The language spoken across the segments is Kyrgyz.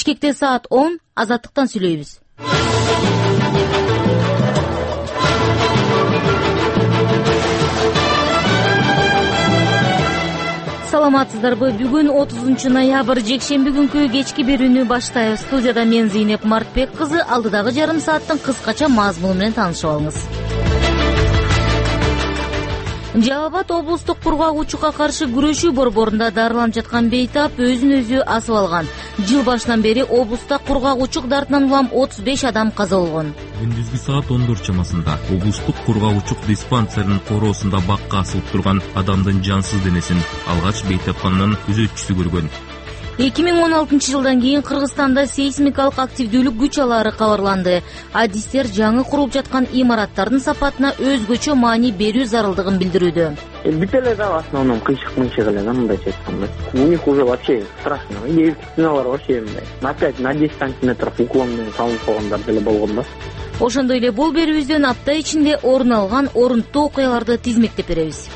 Бишкекте саат 10, Азаттыктан сүйлөйбүз. Саламатсыздарбы? Бүгүн 30 ноябрь жекшемби күнкү кечки берүүнү баштайбыз. Студияда мен Зейнеп Мартбек кызы. Алдыдагы жарым сааттын кыскача мазмуну менен таанышып алыңыз. Жалал Абад облустук кургак-учукка каршы күрөшүү борборунда дарыланып жаткан бейтап өзүн өзү асып алган. Жыл башынан бери облуста кургак-учук дартынан улам 35 адам каза болгон. Күндүзгү саат 14 чамасында облустук кургак-учук диспансеринин короосунда бакка асылып турган адамдын жансыз денесин алгач бейтапканын күзөтчүсү көргөн. 2016 жылдан кийин Кыргызстанда сейсмикалык активдүүлүк күч алаары кабарланды. Адистер жаңы курулуп жаткан имараттардын сапатына өзгөчө маани берүү зарылдыгын билдирүүдө. Бүт эле да в основном кыйшык эле да, мындайча айтканда. У них уже вообще страшно. И стеналар вообще мындай. На 5, на 10 сантиметров уклон менен салынып койгондар деле болгон да. Ошондой эле бул берүүбүздөн апта ичинде орун алган орунттуу окуяларды тизмектеп беребиз.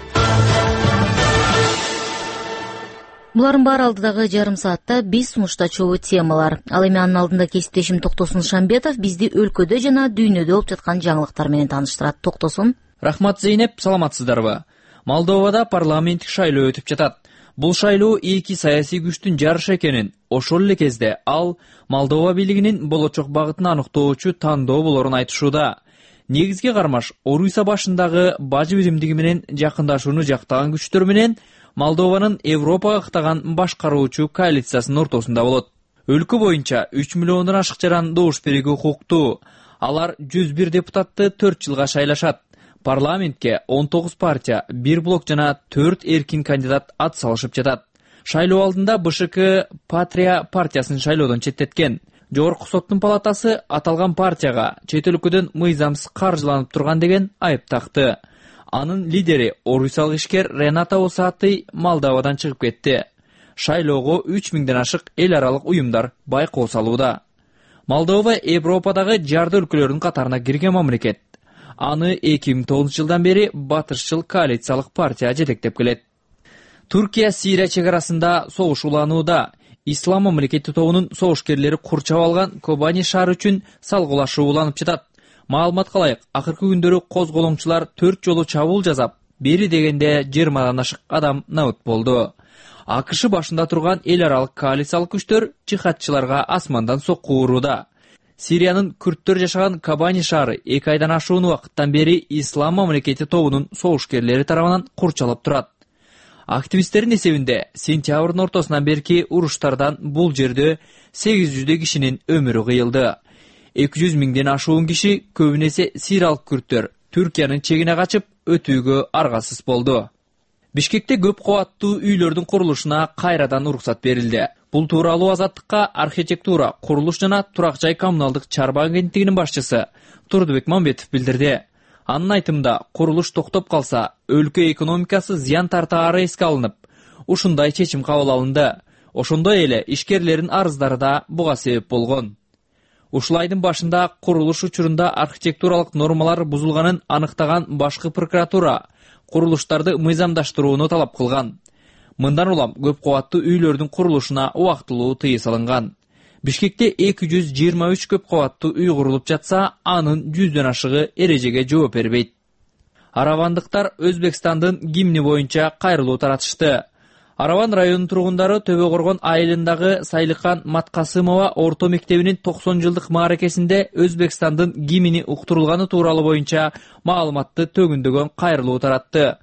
Булардын баары алдыдагы жарым саатта биз сунуштачу темалар. Ал эми анын алдында кесиптешим Токтосун Шамбетов бизди өлкөдө жана дүйнөдө болуп жаткан жаңылыктар менен тааныштырат. Токтосун. Рахмат Зейнеп, саламатсыздарбы? Молдовада парламенттик шайлоо өтүп жатат. Бул шайлоо эки саясий күчтүн жарышы экенин, ошол эле кезде ал Молдова бийлигинин болочок багытын аныктоочу тандоо болорун айтышууда. Негизге кармаш Орусия башындагы бажы биримдиги менен жакындашууну жактаган күчтөр менен Молдованын Европага ыктаган башкаруучу коалициясынын ортосунда болот. Өлкө боюнча 3 миллиондон ашык жаран добуш берүүгө укуктуу. Алар 101 депутатты 4 жылга шайлашат. Парламентке 19 партия, 1 блок жана 4 эркин кандидат ат салышып жатат. Шайлоо алдында БШК Патрия партиясын шайлоодон четтеткен. Жогорку соттун палатасы аталган партияга чет өлкөдөн мыйзамсыз каржыланып турган деген айып такты. Анын лидери орусиялык ишкер Рената Осаты Молдовадан чыгып кетти. Шайлоого 3000ден ашык эл аралык уюмдар байкоо салууда. Молдова Европадагы жарды өлкөлөрдүн катарына кирген мамлекет. Аны 2009 жылдан бери батышчыл коалициялык партия жетектеп келет. Туркия Сирия чек арасында согуш уланууда. Ислам мамлекети тобунун согушкерлери курчап алган Кобани шаары үчүн салгылашуу уланып жатат. Маалыматка ылайык, акыркы күндөрү козголоңчулар 4 жолу чабуул жасап, бери дегенде 20дан ашык адам набыт болду. АКШ башында турган эл аралык коалициялык күчтөр жихадчыларга асмандан сокку урууда. Сириянын күрттөр жашаган Кобани шаары 2 айдан ашуун убакыттан бери Ислам мамлекети тобунун согушкерлери тарабынан курчалып турат. Активисттердин эсебинде сентябрдын ортосунан берки уруштардан бул жерде 800 кишинин өмүрү кыйылды. 200 миңден ашуун киши, көбүнесе сириялык күрттөр, Түркиянын чегине качып өтүүгө аргасыз болду. Бишкекте көп кабаттуу үйлөрдүн курулушуна кайрадан уруксат берилди. Бул тууралуу Азаттыкка архитектура, курулуш жана турак жай коммуналдык чарба агенттигинин башчысы Турдубек Мамбетов билдирди. Анын айтымында, курулуш токтоп калса, өлкө экономикасы зыян тартаары эске алынып, ушундай чечим кабыл алынды. Ошондой эле ишкерлердин арыздары да буга себеп болгон. Ушул айдын башында курулуш учурунда архитектуралык нормалар бузулганын аныктаган башкы прокуратура курулуштарды мыйзамдаштырууну талап кылган. Мындан улам көп кабаттуу үйлөрдүн курулушуна убактылуу тыюу салынган. Бишкекте 223 көп кабаттуу үй курулуп жатса, анын 100дөн ашыгы эрежеге жооп бербейт. Аравандыктар Өзбекстандын гимни боюнча кайрылуу таратышты. Араван районунун тургундары Төбө Коргон айылындагы Сайлыкан Маткасымова орто мектебинин 90 жылдык мааракесинде Өзбекстандын гимни уктурулганы тууралуу боюнча маалыматты төгүндөгөн кайрылуу таратты.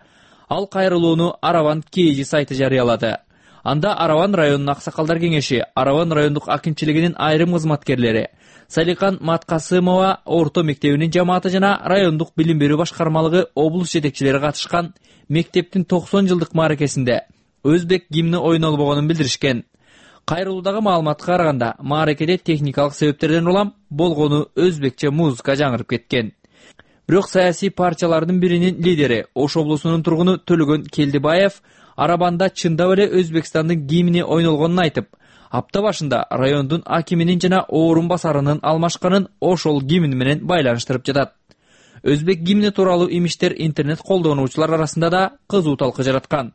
Ал кайрылууну Араван КЖ сайты жарыялады. Анда Араван районунун аксакалдар кеңеши, Араван райондук акимчилигинин айрым кызматкерлери, Сайлыкан Маткасымова орто мектебинин жамааты жана райондук билим берүү башкармалыгы облус жетекчилери катышкан мектептин 90 жылдык мааракесинде өзбек гимни ойнолбогонун билдиришкен. Кайрылуудагы маалыматка караганда, мааракеде техникалык себептерден улам болгону өзбекче музыка жаңырып кеткен. Бирок саясий партиялардын биринин лидери, Ош облусунун тургуну Төлөгөн Келдибаев Арабанда чындап эле Өзбекстандын гимни ойнолгонун айтып, апта башында райондун акиминин жана орун басарынын алмашканын ошол гимн менен байланыштырып жатат. Өзбек гимни тууралуу имиштер интернет колдонуучулар арасында да кызуу талкы жараткан.